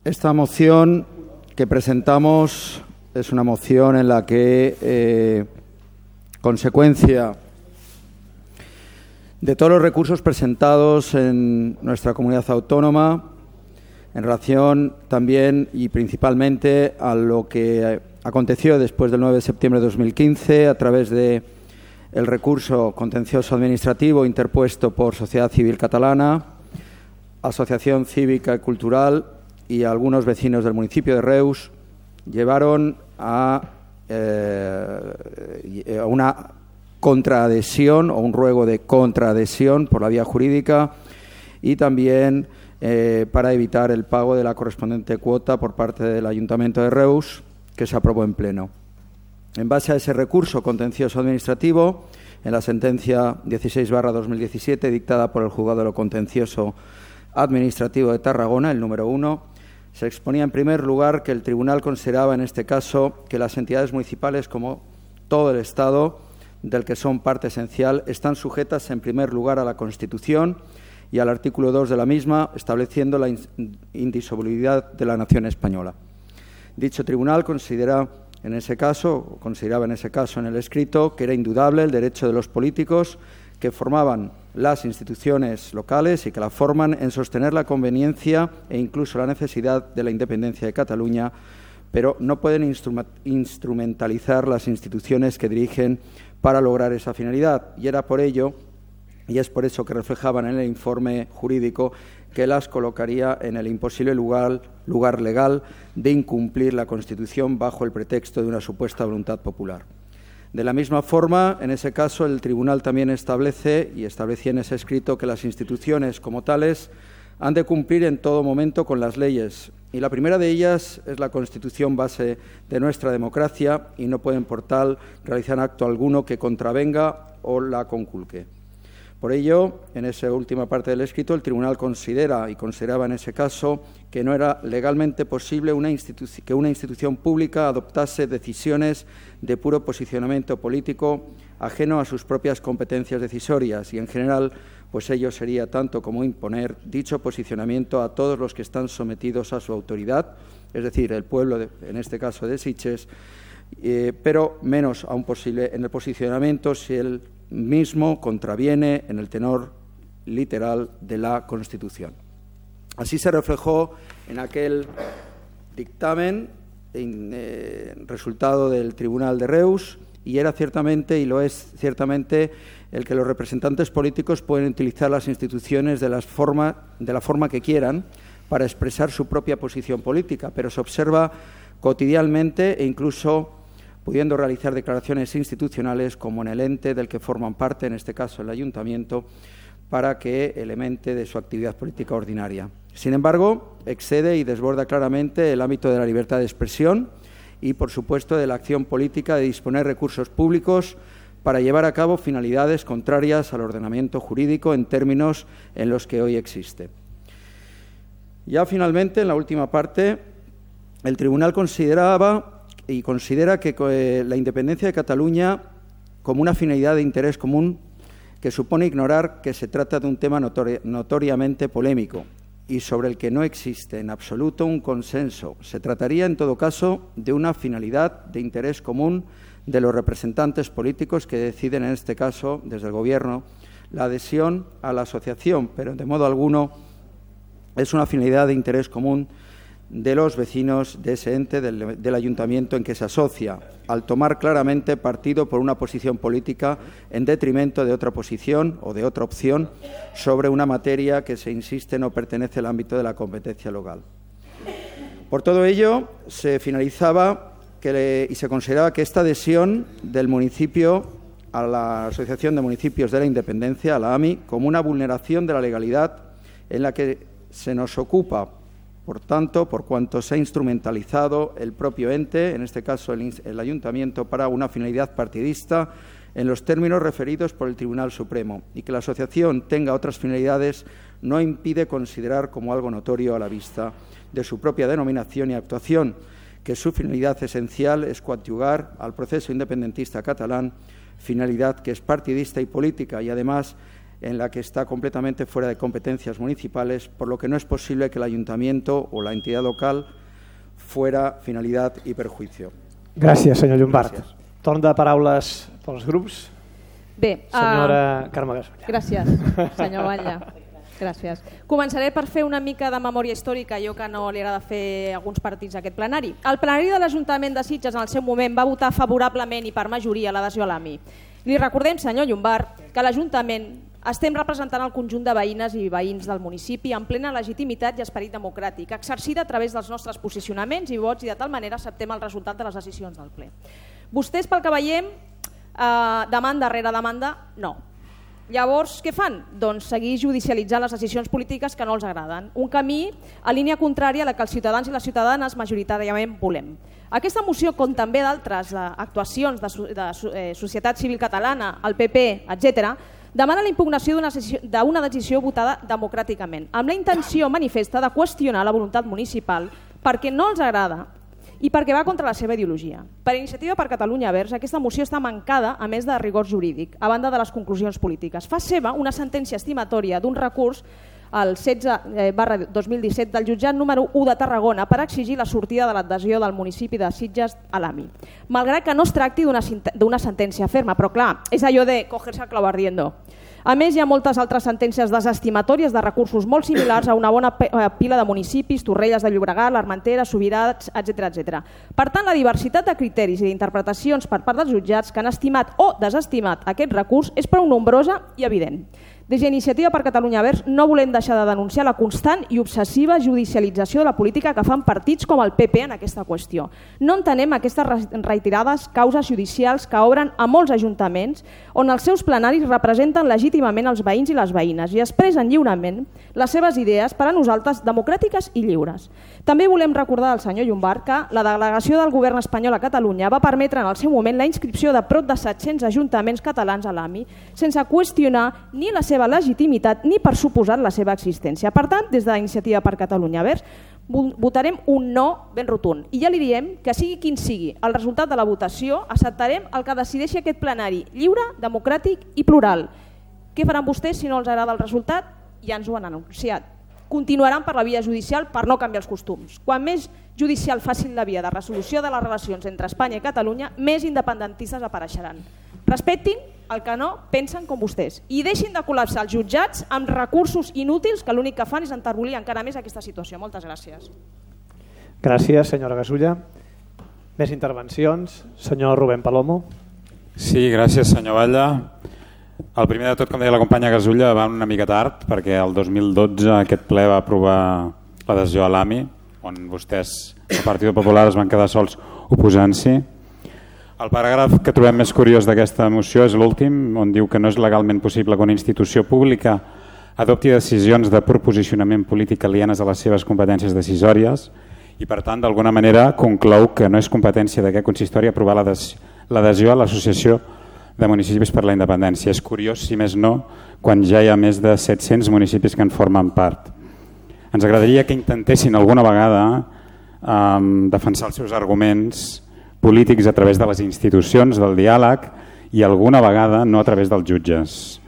Esta moción que presentamos es una moción en la que, consecuencia de todos los recursos presentados en nuestra comunidad autónoma, en relación también y principalmente a lo que aconteció después del 9 de septiembre de 2015 a través de el recurso contencioso administrativo interpuesto por Sociedad Civil Catalana, Asociación Cívica y Cultural y algunos vecinos del municipio de Reus, llevaron a una contraadhesión o un ruego de contraadhesión por la vía jurídica y también para evitar el pago de la correspondiente cuota por parte del Ayuntamiento de Reus, que se aprobó en pleno. En base a ese recurso contencioso administrativo, en la sentencia 16/2017 dictada por el Juzgado de lo Contencioso Administrativo de Tarragona, el número 1, se exponía en primer lugar que el Tribunal consideraba en este caso que las entidades municipales, como todo el Estado, del que son parte esencial, están sujetas en primer lugar a la Constitución y al artículo 2 de la misma, estableciendo la indisolubilidad de la nación española. Dicho tribunal consideraba en ese caso en el escrito que era indudable el derecho de los políticos que formaban las instituciones locales y que la forman en sostener la conveniencia e incluso la necesidad de la independencia de Cataluña, pero no pueden instrumentalizar las instituciones que dirigen para lograr esa finalidad. Y era por ello, y es por eso que reflejaban en el informe jurídico, que las colocaría en el imposible lugar legal de incumplir la Constitución bajo el pretexto de una supuesta voluntad popular. De la misma forma, en ese caso, el Tribunal también establecía en ese escrito que las instituciones como tales han de cumplir en todo momento con las leyes. Y la primera de ellas es la Constitución base de nuestra democracia y no pueden, por tal, realizar acto alguno que contravenga o la conculque. Por ello, en esa última parte del escrito, el Tribunal consideraba en ese caso que no era legalmente posible que una institución pública adoptase decisiones de puro posicionamiento político ajeno a sus propias competencias decisorias y, en general, pues ello sería tanto como imponer dicho posicionamiento a todos los que están sometidos a su autoridad, es decir, el pueblo, en este caso de Sitges, pero menos aún posible en el posicionamiento si el mismo contraviene en el tenor literal de la Constitución. Así se reflejó en aquel dictamen resultado del Tribunal de Reus y era ciertamente, y lo es ciertamente, el que los representantes políticos pueden utilizar las instituciones de la forma que quieran para expresar su propia posición política, pero se observa cotidianamente e incluso pudiendo realizar declaraciones institucionales como en el ente del que forman parte, en este caso el Ayuntamiento, para que elemente de su actividad política ordinaria. Sin embargo, excede y desborda claramente el ámbito de la libertad de expresión y, por supuesto, de la acción política de disponer recursos públicos para llevar a cabo finalidades contrarias al ordenamiento jurídico en términos en los que hoy existe. Ya finalmente, en la última parte, el Tribunal considera que la independencia de Cataluña como una finalidad de interés común que supone ignorar que se trata de un tema notoriamente polémico y sobre el que no existe en absoluto un consenso. Se trataría, en todo caso, de una finalidad de interés común de los representantes políticos que deciden, en este caso, desde el Gobierno, la adhesión a la asociación, pero de modo alguno es una finalidad de interés común de los vecinos de ese ente del ayuntamiento en que se asocia, al tomar claramente partido por una posición política en detrimento de otra posición o de otra opción sobre una materia que, se insiste, no pertenece al ámbito de la competencia local. Por todo ello, se finalizaba y se consideraba que esta adhesión del municipio a la Asociación de Municipios de la Independencia, a la AMI, como una vulneración de la legalidad en la que se nos ocupa. Por tanto, por cuanto se ha instrumentalizado el propio ente, en este caso el Ayuntamiento, para una finalidad partidista en los términos referidos por el Tribunal Supremo, y que la asociación tenga otras finalidades no impide considerar como algo notorio a la vista de su propia denominación y actuación, que su finalidad esencial es coadyuvar al proceso independentista catalán, finalidad que es partidista y política y además en la que está completamente fuera de competencias municipales, por lo que no es posible que el ayuntamiento o la entidad local fuera finalidad i perjuicio. Gràcies, senyor Llombart. Torn de paraules pels grups. Bé, senyora Carme Gasulla. Gràcies, senyor Batlle. Gràcies. Començaré per fer una mica de memòria històrica, allò que no li agrada fer a alguns partits d'aquest plenari. El plenari de l'Ajuntament de Sitges en el seu moment va votar favorablement i per majoria l'adhesió a l'AMI. Li recordem, senyor Llombart, que l'Ajuntament estem representant el conjunt de veïnes i veïns del municipi en plena legitimitat i esperit democràtic, exercida a través dels nostres posicionaments i vots, i de tal manera acceptem el resultat de les decisions del ple. Vostès, pel que veiem, demanda rere demanda, no. Llavors, què fan? Doncs seguir judicialitzant les decisions polítiques que no els agraden. Un camí a línia contrària a la que els ciutadans i les ciutadanes majoritàriament volem. Aquesta moció, com també d'altres actuacions de societat civil catalana, el PP, etc., demana la impugnació d'una decisió votada democràticament, amb la intenció manifesta de qüestionar la voluntat municipal perquè no els agrada i perquè va contra la seva ideologia. Per Iniciativa per Catalunya Verds, aquesta moció està mancada, a més de rigor jurídic, a banda de les conclusions polítiques. Fa seva una sentència estimatòria d'un recurs el 16/2017 del jutjat número 1 de Tarragona per exigir la sortida de l'adhesió del municipi de Sitges a l'AMI. Malgrat que no es tracti d'una sentència ferma, però clar, és allò de cogerse al clavo ardiendo. A més, hi ha moltes altres sentències desestimatòries de recursos molt similars a una bona pila de municipis, Torrelles de Llobregat, l'Armentera, Subirats, etc. Per tant, la diversitat de criteris i d'interpretacions per part dels jutjats que han estimat o desestimat aquest recurs és prou nombrosa i evident. Des d'Iniciativa per Catalunya Verds no volem deixar de denunciar la constant i obsessiva judicialització de la política que fan partits com el PP en aquesta qüestió. No entenem aquestes reiterades causes judicials que obren a molts ajuntaments on els seus plenaris representen legítimament els veïns i les veïnes i expressen lliurement les seves idees, per a nosaltres democràtiques i lliures. També volem recordar al senyor Llombart que la delegació del govern espanyol a Catalunya va permetre en el seu moment la inscripció de prop de 700 ajuntaments catalans a l'AMI sense qüestionar ni la seva legitimitat ni per suposat la seva existència. Per tant, des de l'Iniciativa per Catalunya Verds votarem un no ben rotund. I ja li diem que sigui quin sigui el resultat de la votació, acceptarem el que decideixi aquest plenari lliure, democràtic i plural. Què faran vostès si no els agrada el resultat? Ja ens ho han anunciat. Continuaran per la via judicial per no canviar els costums. Quan més judicial facin la via de resolució de les relacions entre Espanya i Catalunya, més independentistes apareixeran. Respectin el que no pensen com vostès i deixin de col·lapsar els jutjats amb recursos inútils que l'únic que fan és enterbolir encara més aquesta situació. Moltes gràcies. Gràcies, senyora Gasulla. Més intervencions. Senyor Rubén Palomo. Sí, gràcies, senyor Batlle. El primer de tot, com deia la companya Gasulla, va una mica tard perquè el 2012 aquest ple va aprovar l'adhesió a l'AMI, on vostès, el Partit Popular, es van quedar sols oposant-s'hi. El paràgraf que trobem més curiós d'aquesta moció és l'últim, on diu que no és legalment possible que una institució pública adopti decisions de proposicionament polític alienes a les seves competències decisòries i, per tant, d'alguna manera conclou que no és competència d'aquest consistori aprovar l'adhesió a l'Associació de Municipis per la Independència. És curiós, si més no, quan ja hi ha més de 700 municipis que en formen part. Ens agradaria que intentessin alguna vegada defensar els seus arguments polítics a través de les institucions, del diàleg i alguna vegada no a través dels jutges.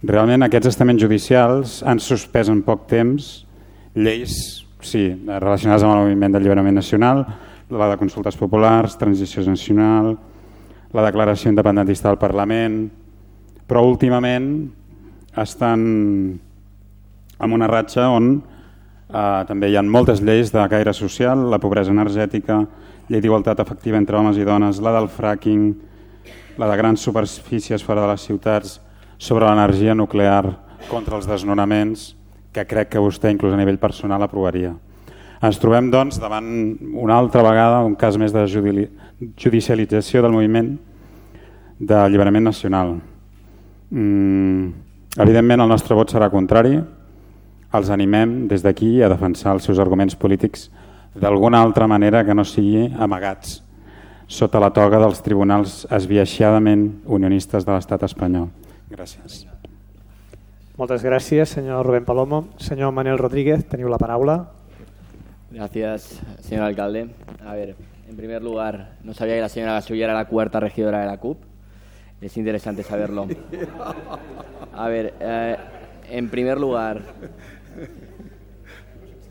Realment aquests estaments judicials han suspès en poc temps lleis relacionades amb el moviment d'alliberament nacional, la de consultes populars, transició nacional, la declaració independentista del Parlament, però últimament estan en una ratxa on també hi ha moltes lleis de caire social, la pobresa energètica, llei d'igualtat efectiva entre homes i dones, la del fracking, la de grans superfícies fora de les ciutats, sobre l'energia nuclear, contra els desnonaments, que crec que vostè inclús a nivell personal aprovaria. Ens trobem doncs davant una altra vegada un cas més de judicialització del moviment d'alliberament nacional. Evidentment el nostre vot serà contrari. Els animem des d'aquí a defensar els seus arguments polítics d'alguna altra manera que no sigui amagats sota la toga dels tribunals esbiaixadament unionistes de l'estat espanyol. Gràcies. Moltes gràcies, senyor Rubén Palomo. Senyor Manuel Rodríguez, teniu la paraula. Gracias, señor alcalde. A ver, en primer lugar, no sabía que la señora Gasulla era la cuarta regidora de la CUP. Es interesante saberlo. A ver, en primer lugar,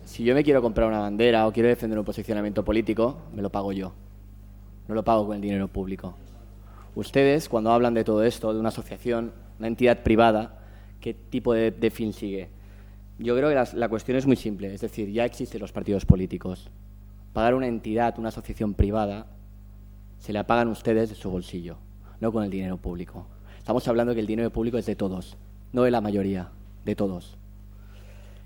si yo me quiero comprar una bandera o quiero defender un posicionamiento político, me lo pago yo. No lo pago con el dinero público. Ustedes, cuando hablan de todo esto, de una asociación, una entidad privada, ¿qué tipo de fin sigue? Yo creo que la cuestión es muy simple. Es decir, ya existen los partidos políticos. Pagar una entidad, una asociación privada, se la pagan ustedes de su bolsillo, no con el dinero público. Estamos hablando que el dinero público es de todos, no de la mayoría, de todos.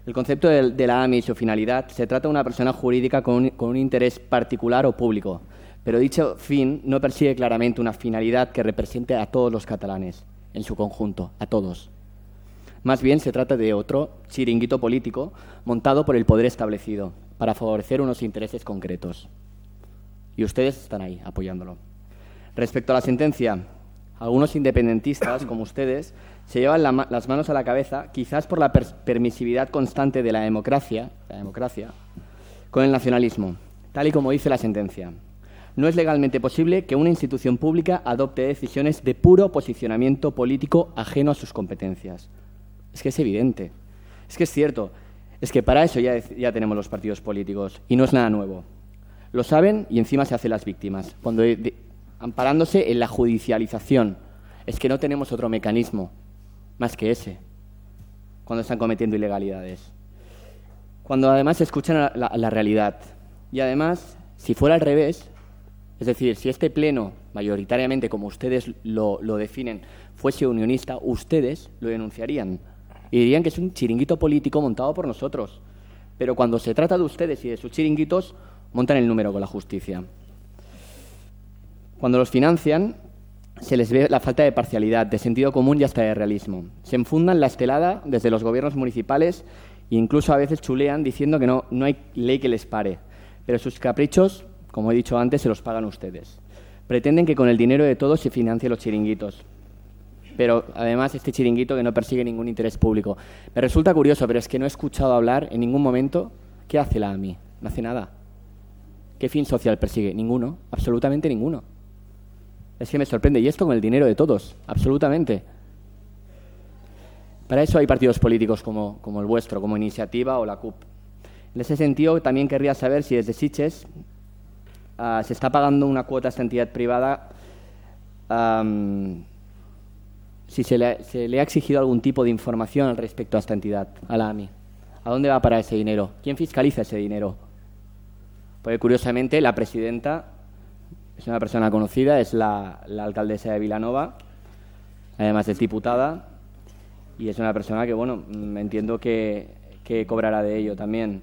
El concepto de la AMI y su finalidad, se trata de una persona jurídica con un interés particular o público, pero dicho fin no persigue claramente una finalidad que represente a todos los catalanes, en su conjunto, a todos. Más bien se trata de otro chiringuito político montado por el poder establecido para favorecer unos intereses concretos. Y ustedes están ahí apoyándolo. Respecto a la sentencia, algunos independentistas, como ustedes, se llevan las manos a la cabeza, quizás por la permisividad constante de la democracia, con el nacionalismo, tal y como dice la sentencia. No es legalmente posible que una institución pública adopte decisiones de puro posicionamiento político ajeno a sus competencias. Es que es evidente, es que es cierto, es que para eso ya tenemos los partidos políticos y no es nada nuevo. Lo saben y encima se hacen las víctimas, amparándose en la judicialización. Es que no tenemos otro mecanismo más que ese, cuando están cometiendo ilegalidades. Cuando además escuchan la realidad. Y además, si fuera al revés, es decir, si este pleno, mayoritariamente como ustedes lo definen, fuese unionista, ustedes lo denunciarían y dirían que es un chiringuito político montado por nosotros. Pero cuando se trata de ustedes y de sus chiringuitos, montan el número con la justicia. Cuando los financian, se les ve la falta de parcialidad, de sentido común y hasta de realismo. Se enfundan la estelada desde los gobiernos municipales e incluso a veces chulean diciendo que no hay ley que les pare. Pero sus caprichos, como he dicho antes, se los pagan ustedes. Pretenden que con el dinero de todos se financien los chiringuitos. Pero además este chiringuito que no persigue ningún interés público. Me resulta curioso, pero es que no he escuchado hablar en ningún momento qué hace la AMI. No hace nada. ¿Qué fin social persigue? Ninguno, absolutamente ninguno. Es que me sorprende. Y esto con el dinero de todos, absolutamente. Para eso hay partidos políticos como el vuestro, como Iniciativa o la CUP. En ese sentido, también querría saber si desde Sitges se está pagando una cuota a esta entidad privada, si se le ha exigido algún tipo de información al respecto a esta entidad, a la AMI. ¿A dónde va para ese dinero? ¿Quién fiscaliza ese dinero? Porque curiosamente la presidenta es una persona conocida, es la alcaldesa de Vilanova, además es diputada, y es una persona que, bueno, entiendo que cobrará de ello también.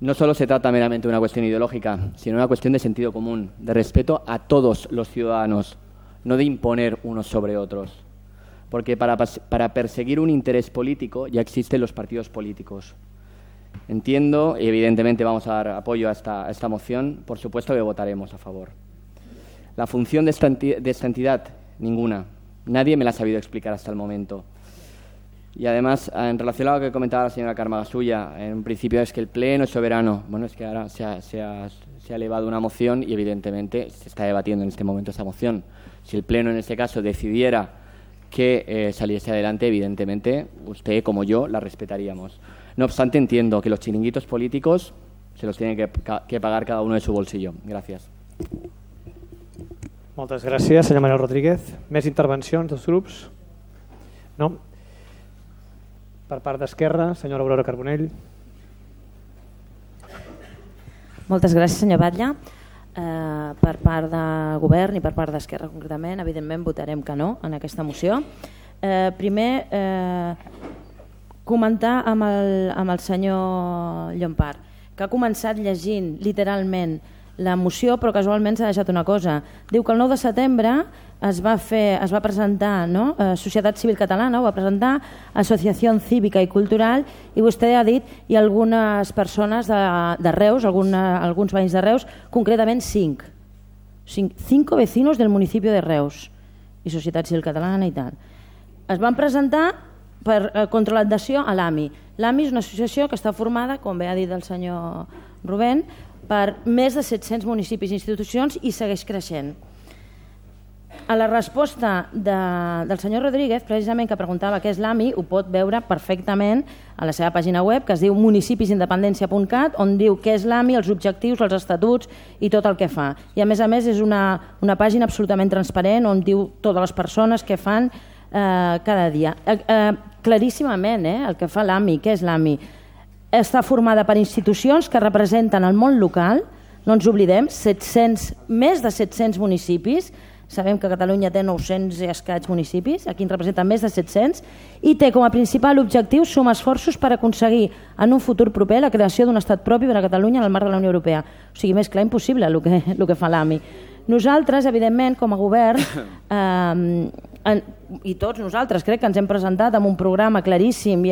No solo se trata meramente de una cuestión ideológica, sino una cuestión de sentido común, de respeto a todos los ciudadanos, no de imponer unos sobre otros. Porque para perseguir un interés político ya existen los partidos políticos. Entiendo y evidentemente vamos a dar apoyo a esta moción, por supuesto que votaremos a favor. La función de esta entidad, ninguna. Nadie me la ha sabido explicar hasta el momento. Y además, en relación a lo que comentaba la señora Carme Gasulla, en un principio es que el Pleno es soberano. Bueno, es que ahora se ha elevado una moción y evidentemente se está debatiendo en este momento esa moción. Si el Pleno en este caso decidiera que saliese adelante, evidentemente usted como yo la respetaríamos. No obstante, entiendo que los chiringuitos políticos se los tiene que pagar cada uno de su bolsillo. Gràcies. Moltes gràcies, senyor Manuel Rodríguez. Més intervencions dels grups? No? Per part d'Esquerra, senyora Aurora Carbonell. Moltes gràcies, senyor Batlle. Per part del govern i per part d'Esquerra concretament, evidentment votarem que no en aquesta moció. Primer, comentar amb el senyor Llompart, que ha començat llegint literalment la moció, però casualment s'ha deixat una cosa. Diu que el 9 de setembre es va presentar, no? Societat Civil Catalana, ho va presentar, Associació Cívica i Cultural, i vostè ha dit i algunes persones de Reus, alguns veïns de Reus, concretament 5 vecinos del municipi de Reus i Societat Civil Catalana i tal. Es van presentar contra l'adhesió a l'AMI. L'AMI és una associació que està formada, com bé ha dit el senyor Rubén, per més de 700 municipis i institucions i segueix creixent. a la resposta del senyor Rodríguez, precisament que preguntava què és l'AMI, ho pot veure perfectament a la seva pàgina web, que es diu municipisindependència.cat, on diu què és l'AMI, els objectius, els estatuts i tot el que fa. I a més és una pàgina absolutament transparent on diu totes les persones que fan cada dia. Claríssimament, el que fa l'AMI, què és l'AMI? Està formada per institucions que representen el món local, no ens oblidem, més de 700 municipis, sabem que Catalunya té 900 i escaig municipis, aquí en representen més de 700, i té com a principal objectiu sumar esforços per aconseguir en un futur proper la creació d'un estat propi per a Catalunya en el marc de la Unió Europea. O sigui, més clar impossible el que fa l'AMI. Nosaltres, evidentment, com a govern, i tots nosaltres crec que ens hem presentat amb un programa claríssim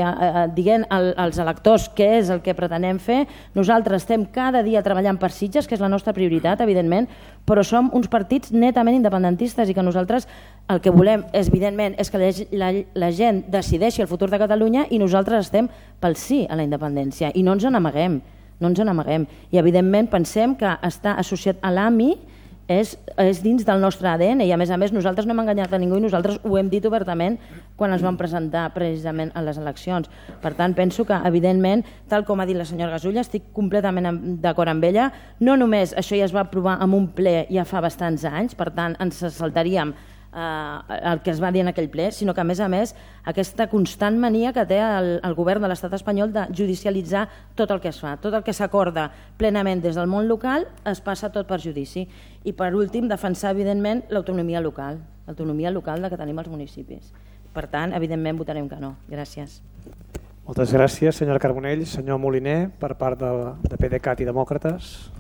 dient als electors què és el que pretenem fer. Nosaltres estem cada dia treballant per Sitges, que és la nostra prioritat, evidentment, però som uns partits netament independentistes i que nosaltres el que volem, evidentment, és que la gent decideixi el futur de Catalunya i nosaltres estem pel sí a la independència i no ens n'amaguem. I, evidentment, pensem que estar associat a l'AMI és dins del nostre ADN i a més nosaltres no hem enganyat a ningú i nosaltres ho hem dit obertament quan ens vam presentar precisament a les eleccions. Per tant, penso que evidentment, tal com ha dit la senyora Gasulla, estic completament d'acord amb ella. No només això ja es va aprovar en un ple ja fa bastants anys, per tant ens saltaríem el que es va dir en aquell ple, sinó que a més aquesta constant mania que té el govern de l'estat espanyol de judicialitzar tot el que es fa, tot el que s'acorda plenament des del món local es passa tot per judici. I per últim, defensar evidentment l'autonomia local que tenim als municipis. Per tant, evidentment votarem que no. Gràcies. Moltes gràcies, senyora Carbonell. Senyor Moliner, per part de PDeCAT i Demòcrates.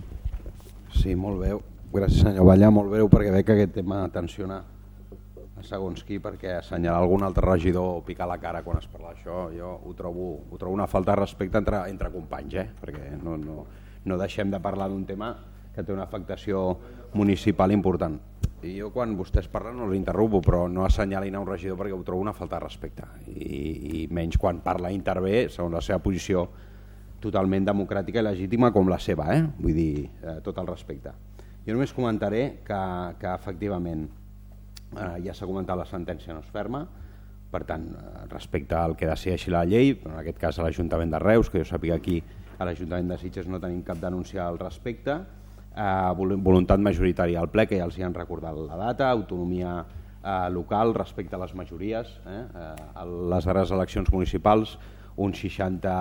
Sí, molt bé. Gràcies, senyor Valla. Molt breu perquè veig que aquest tema tensiona a segons qui, perquè assenyalar algun altre regidor o picar la cara quan es parla d'això, jo ho trobo una falta de respecte entre companys, perquè no deixem de parlar d'un tema que té una afectació municipal important. I jo quan vostès parlen no l'interrompo, però no assenyalin a un regidor perquè ho trobo una falta de respecte, i menys quan parla i intervé segons la seva posició totalment democràtica i legítima com la seva, vull dir, tot el respecte. Jo només comentaré que efectivament ja s'ha comentat, la sentència no és ferma, per tant, respecte al que decideixi la llei, en aquest cas a l'Ajuntament de Reus, que jo sàpiga aquí a l'Ajuntament de Sitges no tenim cap denúncia al respecte, voluntat majoritària al ple, que ja els hi han recordat la data, autonomia local respecte a les majories. A les darreres eleccions municipals, un 60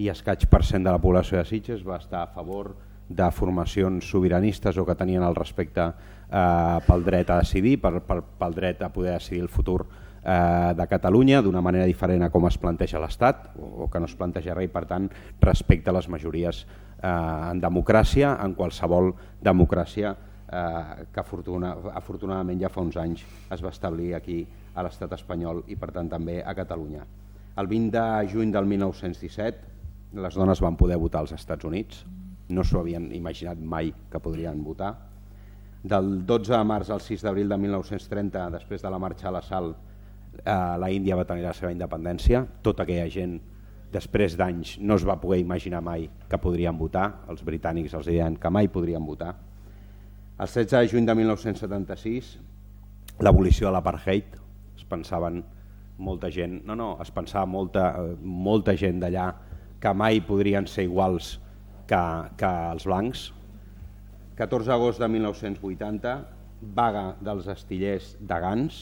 i escaig % de la població de Sitges va estar a favor de formacions sobiranistes o que tenien el respecte pel dret a decidir, pel dret a poder decidir el futur de Catalunya d'una manera diferent a com es planteja l'Estat o que no es planteja res, i per tant respecte a les majories en democràcia, en qualsevol democràcia que afortunadament ja fa uns anys es va establir aquí a l'Estat espanyol i per tant també a Catalunya. El 20 de juny del 1917 les dones van poder votar als Estats Units, no s'ho havien imaginat mai que podrien votar. Del 12 de març al 6 d'abril de 1930, després de la marxa a l'assalt, la Índia va tenir la seva independència. Tota aquella gent, després d'anys, no es va poder imaginar mai que podrien votar. Els britànics els deien que mai podrien votar. El 16 de juny de 1976, l'abolició de l'apartheid, es pensaven molta gent, es pensava molta gent d'allà que mai podrien ser iguals que els blancs. 14 d'agost de 1980, vaga dels astillers de Gans,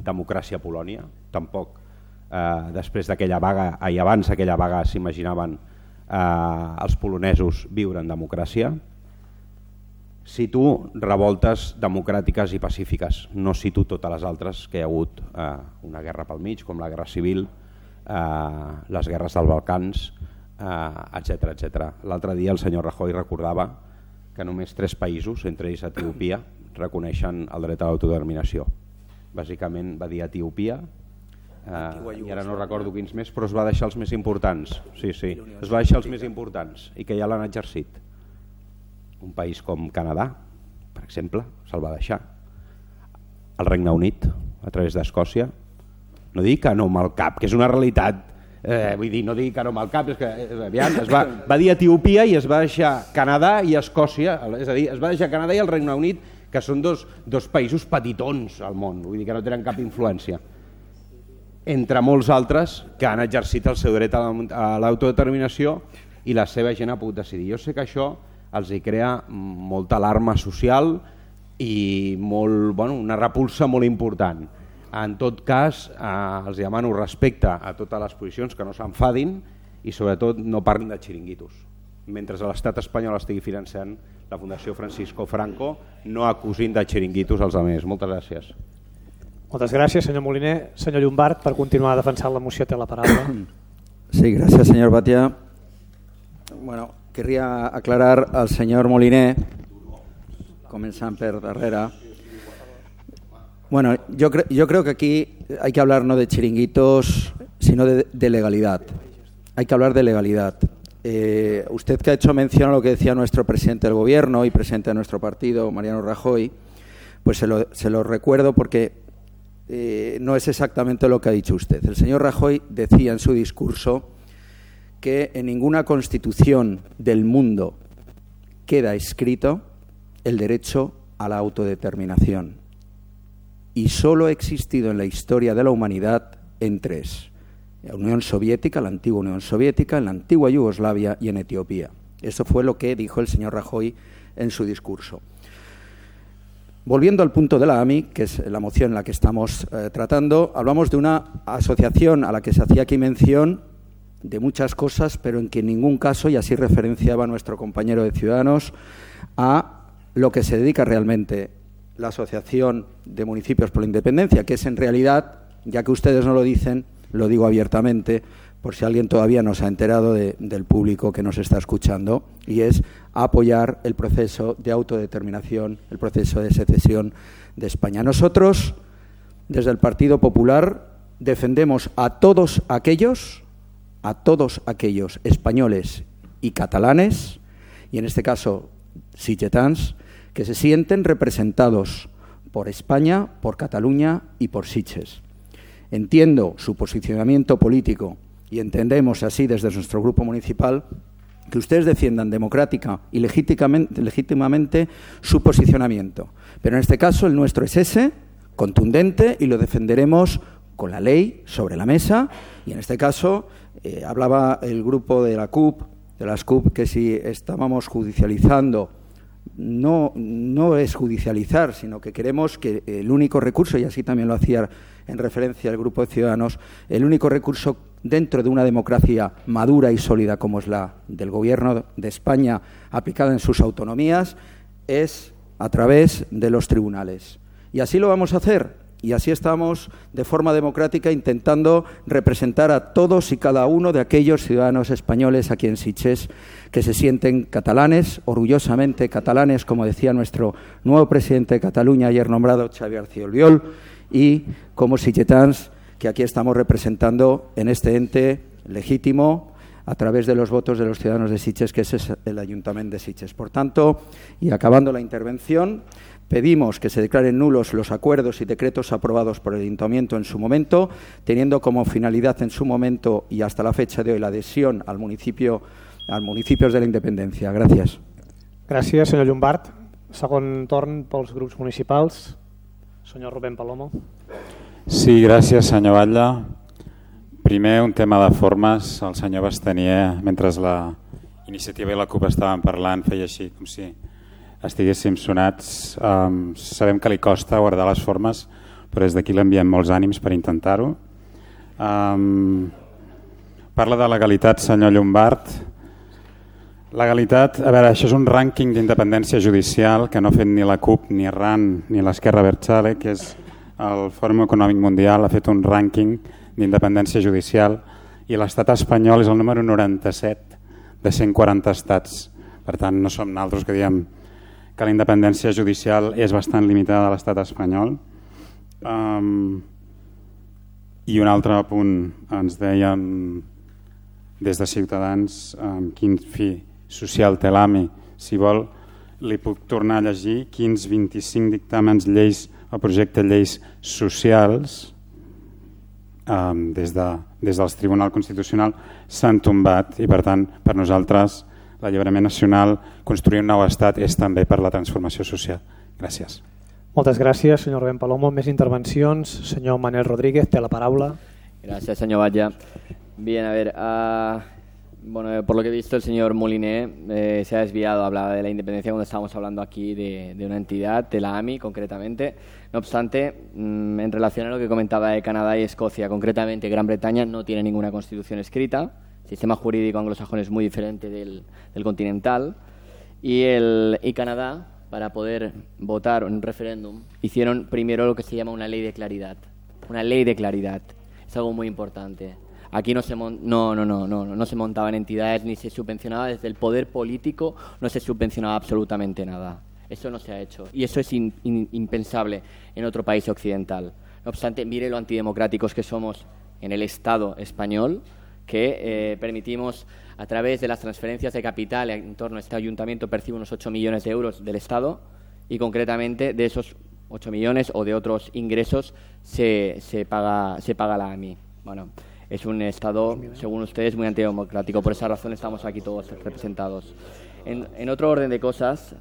democràcia a Polònia. Tampoc després d'aquella vaga, i abans d'aquella vaga, s'imaginaven els polonesos viure en democràcia. Cito revoltes democràtiques i pacífiques, no cito totes les altres que hi ha hagut, una guerra pel mig, com la guerra civil, les guerres dels Balcans, etc. L'altre dia el senyor Rajoy recordava que només 3 països, entre ells Etiòpia, reconeixen el dret a l'autodeterminació. Bàsicament va dir Etiòpia, i ara no recordo quins més, però es va deixar els més importants. Sí, es va deixar els més importants i que ja l'han exercit. Un país com Canadà, per exemple, se'l va deixar. El Regne Unit, a través d'Escòcia. No dic que no amb el cap, que és una realitat. Vull dir, no digui que no amb el cap, és que va dir Etiòpia i es va deixar Canadà i Escòcia, és a dir, es va deixar Canadà i el Regne Unit, que són dos països petitons al món, vull dir que no tenen cap influència, entre molts altres que han exercit el seu dret a l'autodeterminació i la seva gent ha pogut decidir. Jo sé que això els hi crea molta alarma social i una repulsa molt important. En tot cas, els demano respecte a totes les posicions, que no s'enfadin i sobretot no parlin de xiringuitos. Mentre l'estat espanyol estigui finançant la Fundació Francisco Franco, no acusin de xiringuitos als altres. Moltes gràcies. Moltes gràcies, senyor Moliner. Senyor Llombart, per continuar defensant la moció té la paraula. Sí, gracias, señor Batia. Bueno, querría aclarar al señor Moliner, comenzando por darrera. Bueno, yo creo que aquí hay que hablar no de chiringuitos, sino de legalidad. Hay que hablar de legalidad. Usted que ha hecho mención a lo que decía nuestro presidente del gobierno y presidente de nuestro partido, Mariano Rajoy, pues se lo recuerdo porque no es exactamente lo que ha dicho usted. El señor Rajoy decía en su discurso que en ninguna constitución del mundo queda escrito el derecho a la autodeterminación. Y solo ha existido en la historia de la humanidad en tres: la Unión Soviética, la antigua Unión Soviética, en la antigua Yugoslavia y en Etiopía. Eso fue lo que dijo el señor Rajoy en su discurso. Volviendo al punto de la AMI, que es la moción en la que estamos tratando, hablamos de una asociación a la que se hacía aquí mención de muchas cosas, pero en que en ningún caso, y así referenciaba nuestro compañero de Ciudadanos, a lo que se dedica realmente la Asociación de Municipios por la Independencia, que es en realidad, ya que ustedes no lo dicen, lo digo abiertamente, por si alguien todavía no se ha enterado del público que nos está escuchando, y es apoyar el proceso de autodeterminación, el proceso de secesión de España. Nosotros, desde el Partido Popular, defendemos a todos aquellos españoles y catalanes, y en este caso sitgetans, que se sienten representados por España, por Cataluña y por Sitges. Entiendo su posicionamiento político y entendemos así desde nuestro grupo municipal que ustedes defiendan democrática y legítimamente su posicionamiento. Pero en este caso el nuestro es ese, contundente, y lo defenderemos con la ley sobre la mesa. Y en este caso hablaba el grupo de las CUP, que si estábamos judicializando, no es judicializar, sino que queremos que el único recurso, y así también lo hacía en referencia al grupo de Ciudadanos, el único recurso dentro de una democracia madura y sólida como es la del Gobierno de España aplicada en sus autonomías es a través de los tribunales. Y así lo vamos a hacer. Y así estamos de forma democrática intentando representar a todos y cada uno de aquellos ciudadanos españoles aquí en Sitges que se sienten catalanes, orgullosamente catalanes, como decía nuestro nuevo presidente de Cataluña, ayer nombrado, Xavi García Albiol, y como sitgetans que aquí estamos representando en este ente legítimo a través de los votos de los ciudadanos de Sitges, que es el Ayuntamiento de Sitges. Por tanto, y acabando la intervención, pedimos que se declaren nulos los acuerdos y decretos aprobados por el Ayuntamiento en su momento, teniendo como finalidad en su momento y hasta la fecha de hoy la adhesión al municipios de la Independencia. Gràcies. Gràcies, senyor Llombart. Segon torn pels grups municipals. Senyor Rubén Palomo. Sí, gràcies, senyor Batlle. Primer, un tema de formes. El senyor Bastanier, mentre la iniciativa i la CUP estaven parlant, feia així, com si estiguéssim sonats. Sabem que li costa guardar les formes, però des d'aquí l'enviem molts ànims per intentar-ho. Parla de legalitat, senyor Llombart. Legalitat, a veure, això és un rànquing d'independència judicial que no ha fet ni la CUP, ni RAN, ni l'Esquerra Abertzale, que és el Fòrum Econòmic Mundial, ha fet un rànquing d'independència judicial i l'estat espanyol és el número 97 de 140 estats. Per tant, no som nosaltres que diem que la independència judicial és bastant limitada a l'estat espanyol. I un altre punt, ens deien des de Ciutadans quin fi social té l'AMI. Si vol, li puc tornar a llegir quins 25 dictàmens, lleis o projecte lleis socials des del Tribunal Constitucional s'han tombat i, per tant, per nosaltres l'alliberament nacional, construir un nou estat és també per la transformació social. Gràcies. Moltes gràcies, senyor Rubén Palomo. Més intervencions. Senyor Manel Rodríguez, té la paraula. Gracias, señor Valla. Bien, a ver, bueno, por lo que he visto, el señor Moliné se ha desviado, hablaba de la independencia cuando estábamos hablando aquí de una entidad, de la AMI concretamente. No obstante, en relación a lo que comentaba de Canadá y Escocia, concretamente Gran Bretaña no tiene ninguna constitución escrita, el sistema jurídico anglosajón es muy diferente del continental, y Canadá, para poder votar en un referéndum, hicieron primero lo que se llama una ley de claridad. Una ley de claridad. Es algo muy importante. Aquí no se montaban entidades ni se subvencionaba desde el poder político, no se subvencionaba absolutamente nada. Eso no se ha hecho y eso es impensable en otro país occidental. No obstante, mire lo antidemocráticos que somos en el Estado español, que permitimos a través de las transferencias de capital en torno a este ayuntamiento percibe unos 8 millones de euros del Estado y concretamente de esos 8 millones o de otros ingresos se paga la AMI. Bueno, es un Estado, según ustedes, muy antidemocrático. Por esa razón estamos aquí todos representados. En otro orden de cosas,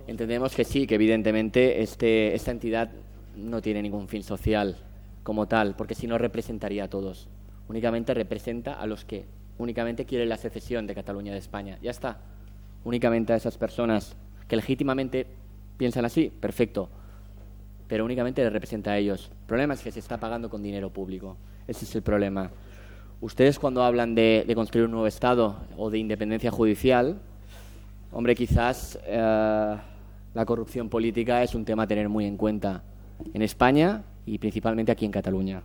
entendemos que sí, que evidentemente esta entidad no tiene ningún fin social como tal, porque si no representaría a todos. Únicamente representa a los que únicamente quieren la secesión de Cataluña de España. Ya está. Únicamente a esas personas que legítimamente piensan así, perfecto. Pero únicamente les representa a ellos. El problema es que se está pagando con dinero público. Ese es el problema. Ustedes cuando hablan de construir un nuevo Estado o de independencia judicial, hombre, quizás la corrupción política es un tema a tener muy en cuenta en España y principalmente aquí en Cataluña.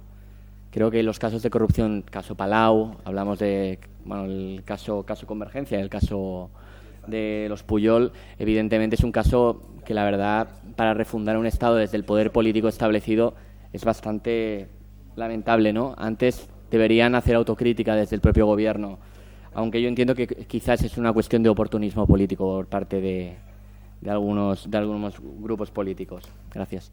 Creo que los casos de corrupción, caso Palau, hablamos de el caso Convergencia, el caso de los Pujol, evidentemente es un caso que la verdad para refundar un Estado desde el poder político establecido es bastante lamentable, ¿no? Antes deberían hacer autocrítica desde el propio gobierno, aunque yo entiendo que quizás es una cuestión de oportunismo político por parte de algunos grupos políticos. Gracias.